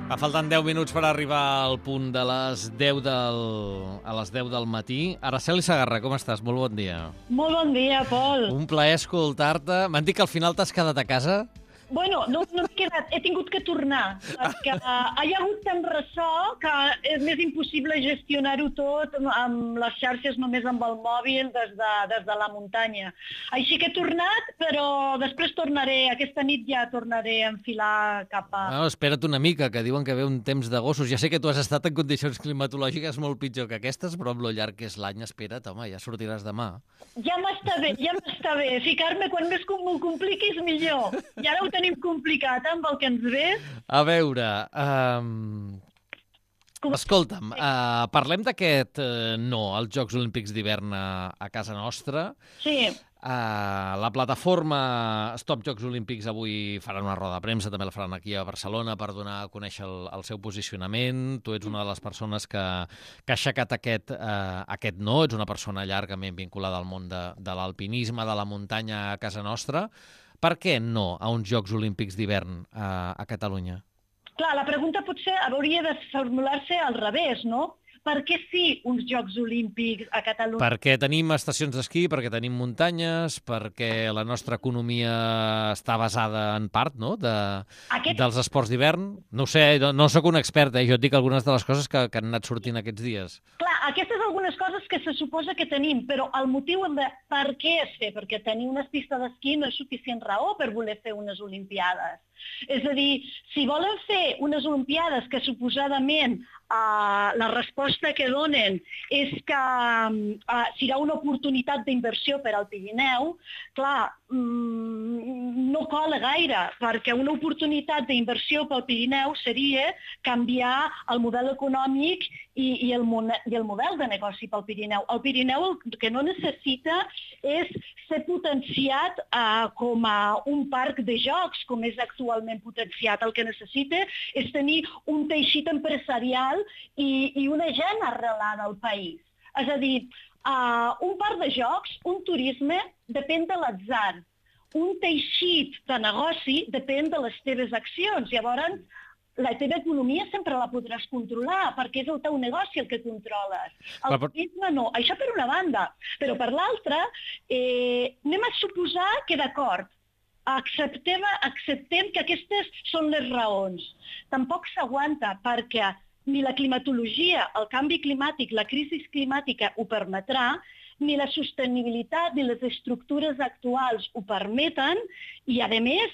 Falten 10 minuts per arribar al punt de les 10 del matí. Araceli Segarra, com estàs? Molt bon dia. Molt bon dia, Pol. Un plaer escoltar-te. M'han dit que al final t'has quedat a casa? Bueno, no m'he quedat, he tingut que tornar, perquè hi ha hagut tant ressò que és més impossible gestionar-ho tot amb les xarxes només amb el mòbil des de la muntanya. Així que he tornat, però després tornaré, aquesta nit ja tornaré a enfilar cap a... No, espera't una mica, que diuen que ve un temps de gossos. Ja sé que tu has estat en condicions climatològiques molt pitjor que aquestes, però amb lo llarg que és l'any, espera't, home, ja sortiràs demà. Ja m'està bé. Ficar-me quan més m'ho compliquis millor. I ara ho tenim complicat amb el que ens ve. A veure, escolta'm, parlem d'aquest no als Jocs Olímpics d'hivern a casa nostra. Sí. La plataforma Stop Jocs Olímpics avui faran una roda de premsa, també la faran aquí a Barcelona per donar a conèixer el seu posicionament. Tu ets una de les persones que ha aixecat aquest no, ets una persona llargament vinculada al món de l'alpinisme, de la muntanya a casa nostra. Per què no a uns Jocs Olímpics d'hivern a Catalunya? Clar, la pregunta potser hauria de formular-se al revés, no? Per què sí uns Jocs Olímpics a Catalunya? Perquè tenim estacions d'esquí, perquè tenim muntanyes, perquè la nostra economia està basada en part, no?, dels esports d'hivern. No ho sé, no sóc un expert, jo et dic algunes de les coses que han anat sortint aquests dies. Clar, aquestes algunes coses que se suposa que tenim, però el motiu de per què es fer, perquè tenir unes pistes d'esquí no és suficient raó per voler fer unes Olimpiades. És a dir, si volen fer unes Olimpiades que suposadament la resposta que donen és que serà una oportunitat d'inversió per al Pirineu, clar, no cola gaire, perquè una oportunitat d'inversió pel Pirineu seria canviar el model econòmic i el model de negoci pel Pirineu. El Pirineu el que no necessita és ser potenciat com a un parc de jocs, com és actualment potenciat. El que necessita és tenir un teixit empresarial i una gent arrelada al país. És a dir, un parc de jocs, un turisme, depèn de l'atzar. Un teixit de negoci depèn de les teves accions. Llavors, la teva economia sempre la podràs controlar, perquè és el teu negoci el que controles. El turisme no. Això per una banda. Però per l'altra, anem a suposar que d'acord, acceptem que aquestes són les raons. Tampoc s'aguanta perquè ni la climatologia, el canvi climàtic, la crisi climàtica ho permetrà, ni la sostenibilitat ni les estructures actuals ho permeten i, a més,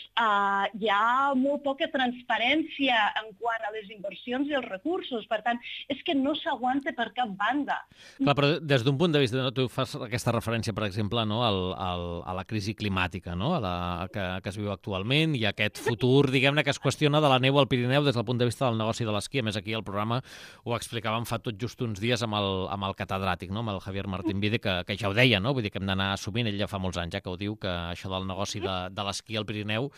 hi ha molt poca transparència en quant a les inversions i els recursos. Per tant, és que no s'aguanta per cap banda. Clar, però des d'un punt de vista, tu fas aquesta referència, per exemple, no, a la crisi climàtica, no, que es viu actualment, i aquest futur, diguem-ne, que es qüestiona de la neu al Pirineu des del punt de vista del negoci de l'esquí. A més, aquí al programa ho explicàvem fa tot just uns dies amb el catedràtic, no, amb el Javier Martín Vide, que ja ho deia, no? Vull dir que hem d'anar assumint, ell ja fa molts anys que ho diu, que això del negoci de l'esquí al Pirineu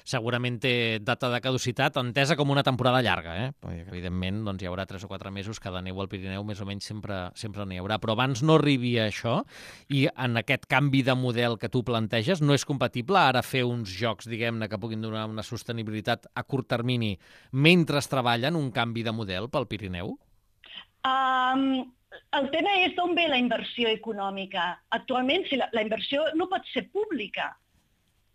segurament té data de caducitat entesa com una temporada llarga, perquè evidentment doncs, hi haurà 3 o 4 mesos que de neu al Pirineu més o menys sempre n'hi haurà, però abans no arribi a això i en aquest canvi de model que tu planteges no és compatible ara fer uns jocs, diguem-ne, que puguin donar una sostenibilitat a curt termini mentre treballen un canvi de model pel Pirineu? El tema és d'on ve la inversió econòmica. Actualment, la inversió no pot ser pública,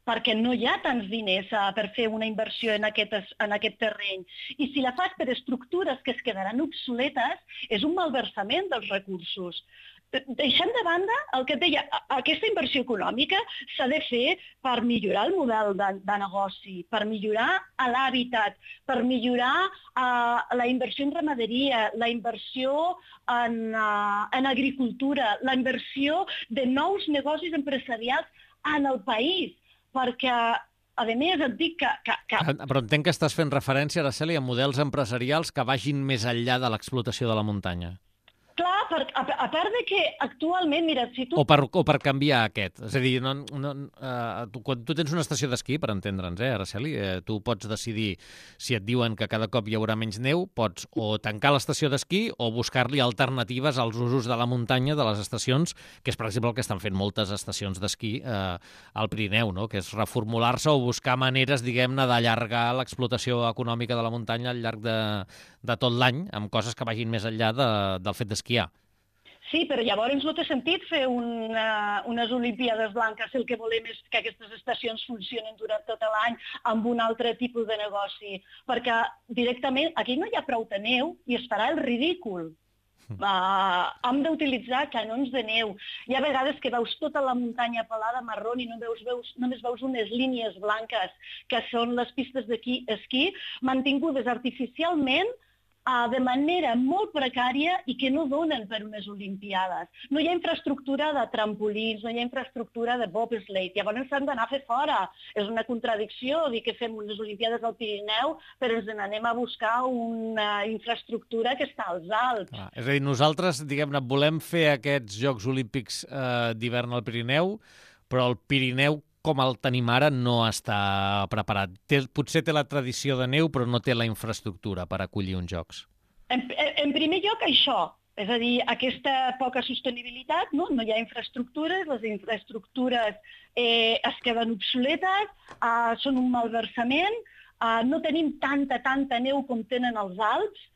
perquè no hi ha tants diners per fer una inversió en aquest terreny. I si la fas per estructures que es quedaran obsoletes, és un malversament dels recursos. Deixant de banda el que et deia, aquesta inversió econòmica s'ha de fer per millorar el model de negoci, per millorar l'hàbitat, per millorar la inversió en ramaderia, la inversió en agricultura, la inversió de nous negocis empresarials en el país, perquè a més et dic que... Però entenc que estàs fent referència, Araceli, a models empresarials que vagin més enllà de l'explotació de la muntanya. Clar, a part de que actualment, mira, si tu... O per canviar aquest. És a dir, quan tu tens una estació d'esquí, per entendre'ns, Araceli, tu pots decidir, si et diuen que cada cop hi haurà menys neu, pots o tancar l'estació d'esquí o buscar-li alternatives als usos de la muntanya de les estacions, que és, per exemple, el que estan fent moltes estacions d'esquí al Pirineu, no? Que és reformular-se o buscar maneres, diguem-ne, d'allargar l'explotació econòmica de la muntanya al llarg de tot l'any, amb coses que vagin més enllà del fet d'esquiar. Sí, però llavors no té sentit fer unes Olimpíades blanques si el que volem és que aquestes estacions funcionin durant tot l'any amb un altre tipus de negoci, perquè directament aquí no hi ha prou de neu i es farà el ridícul. Hem d'utilitzar canons de neu. Hi ha vegades que veus tota la muntanya pelada marró i només veus unes línies blanques, que són les pistes d'esquí mantingudes artificialment de manera molt precària i que no donen per unes Olimpiades. No hi ha infraestructura de trampolins, no hi ha infraestructura de bobsleigh, llavors s'han d'anar a fer fora. És una contradicció dir que fem unes Olimpiades al Pirineu, però ens n'anem a buscar una infraestructura que està als Alps. És a dir, nosaltres, diguem-ne, volem fer aquests Jocs Olímpics d'hivern al Pirineu, però el Pirineu com el tenim ara, no està preparat. Potser té la tradició de neu, però no té la infraestructura per acollir uns jocs. En primer lloc, això. És a dir, aquesta poca sostenibilitat, no hi ha infraestructures, les infraestructures es queden obsoletes, són un malversament, no tenim tanta neu com tenen els Alps,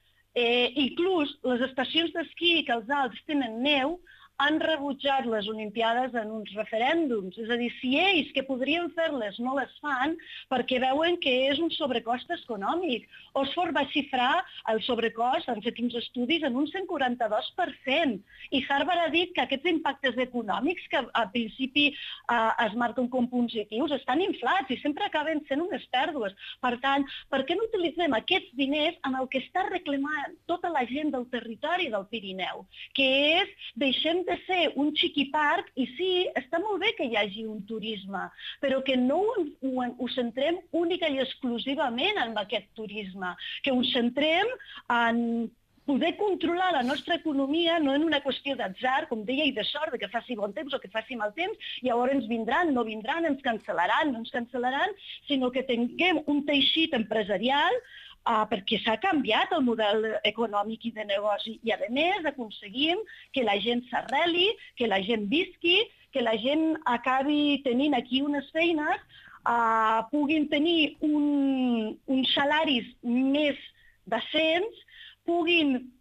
inclús les estacions d'esquí que els Alps tenen neu han rebutjat les Olimpiades en uns referèndums. És a dir, si ells que podrien fer-les no les fan perquè veuen que és un sobrecost econòmic. Oxford va xifrar el sobrecost, han fet uns estudis, en un 142%. I Harvard ha dit que aquests impactes econòmics, que al principi es marquen com positius, estan inflats i sempre acaben sent unes pèrdues. Per tant, per què no utilitzem aquests diners en el que està reclamant tota la gent del territori del Pirineu, que és deixem de ser un xiquiparc i sí, està molt bé que hi hagi un turisme, però que no ho centrem única i exclusivament en aquest turisme, que ho centrem en poder controlar la nostra economia no en una qüestió d'atzar, com deia, i de sort, que faci bon temps o que faci mal temps, i llavors ens vindran, no vindran, ens cancel·laran, no ens cancel·laran, sinó que tinguem un teixit empresarial perquè s'ha canviat el model econòmic i de negoci i, a més, aconseguim que la gent s'arreli, que la gent visqui, que la gent acabi tenint aquí unes feines, puguin tenir uns salaris més decents, puguin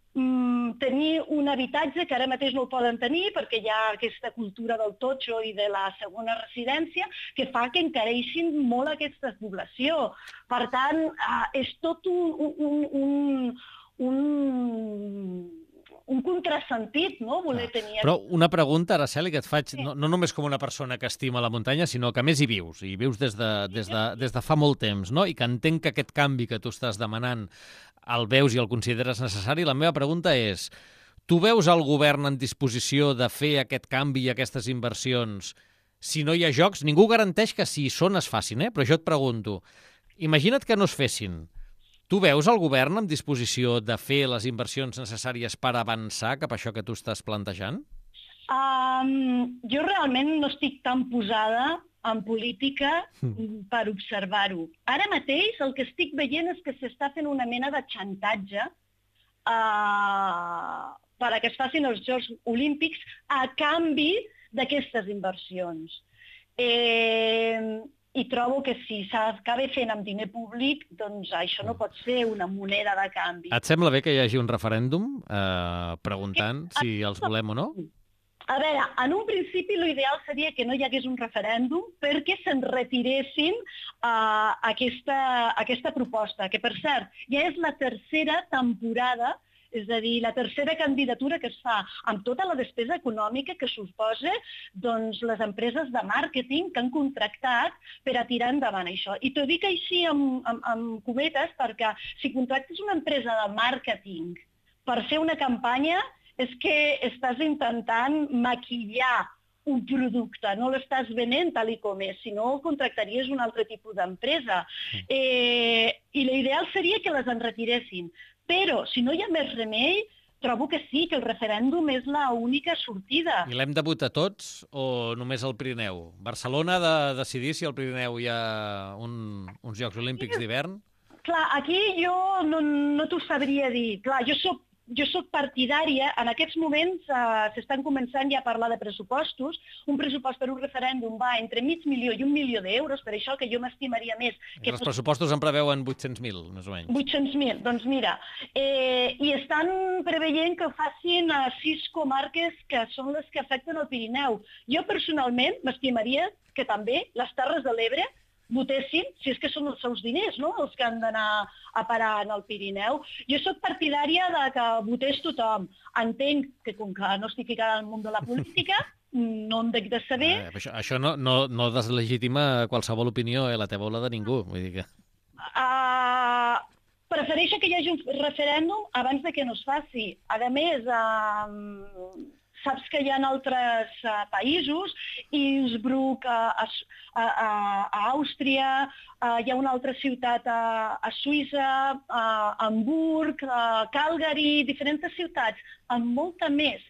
tenir un habitatge que ara mateix no el poden tenir perquè hi ha aquesta cultura del totxo i de la segona residència que fa que encareixin molt aquesta població. Per tant, és tot un contrasentit, no?, voler tenir... Però una pregunta, Araceli, que et faig, no només com una persona que estima la muntanya, sinó que a més hi vius des de fa molt temps, no?, i que entenc que aquest canvi que tu estàs demanant el veus i el consideres necessari. La meva pregunta és, tu veus el govern en disposició de fer aquest canvi i aquestes inversions si no hi ha jocs? Ningú garanteix que si hi són es facin, però jo et pregunto, imagina't que no es fessin. Tu veus el govern en disposició de fer les inversions necessàries per avançar cap a això que tu estàs plantejant? Jo realment no estic tan posada en política per observar-ho. Ara mateix el que estic veient és que s'està fent una mena de xantatge perquè es facin els Jocs Olímpics a canvi d'aquestes inversions. I trobo que si s'acaba fent amb diner públic, doncs això no pot ser una moneda de canvi. Et sembla bé que hi hagi un referèndum preguntant si els volem o no? A veure, en un principi l'ideal seria que no hi hagués un referèndum perquè se'n retiressin aquesta proposta, que per cert ja és la tercera temporada, és a dir, la tercera candidatura que es fa amb tota la despesa econòmica que suposa les empreses de màrqueting que han contractat per a tirar endavant això. I t'ho dic així amb cometes perquè si contractes una empresa de màrqueting per fer una campanya és que estàs intentant maquillar un producte, no l'estàs venent tal com és, si no contractaries un altre tipus d'empresa. I l'ideal seria que les enretiressin. Però, si no hi ha més remei, trobo que sí, que el referèndum és l'única sortida. I l'hem de votar tots o només el Pirineu? Barcelona ha de decidir si al Pirineu hi ha uns Jocs Olímpics d'hivern? Clar, aquí jo no t'ho sabria dir. Clar, jo soc partidària, en aquests moments s'estan començant ja a parlar de pressupostos. Un pressupost per un referèndum va entre $500,000 i $1 milió, per això que jo m'estimaria més. Els pressupostos en preveuen 800.000, més o menys. 800.000, doncs mira, i estan preveient que facin a 6 comarques que són les que afecten el Pirineu. Jo personalment m'estimaria que també les Terres de l'Ebre votessin, si és que són els seus diners, no?, els que han d'anar a parar en el Pirineu. Jo sóc partidària de que votés tothom. Entenc que, com que no estic ficada al món de la política, no en dec de saber... Això no deslegitima qualsevol opinió, la teva o la de ningú. Vull dir que... Prefereixo que hi hagi un referèndum abans de que no es faci. A més, saps que hi ha altres països, Innsbruck, a Àustria, hi ha una altra ciutat a Suïssa, a Hamburg, a Calgary, diferents ciutats amb molta més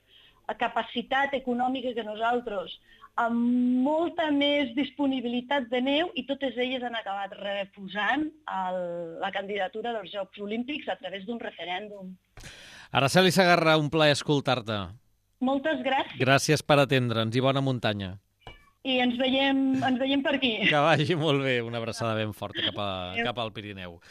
capacitat econòmica que nosaltres, amb molta més disponibilitat de neu, i totes elles han acabat refusant la candidatura dels Jocs Olímpics a través d'un referèndum. Araceli Segarra, un plaer escoltar-te. Moltes gràcies. Gràcies per atendre'ns i bona muntanya. I ens veiem per aquí. Que vagi molt bé, una abraçada ben forta cap al Pirineu.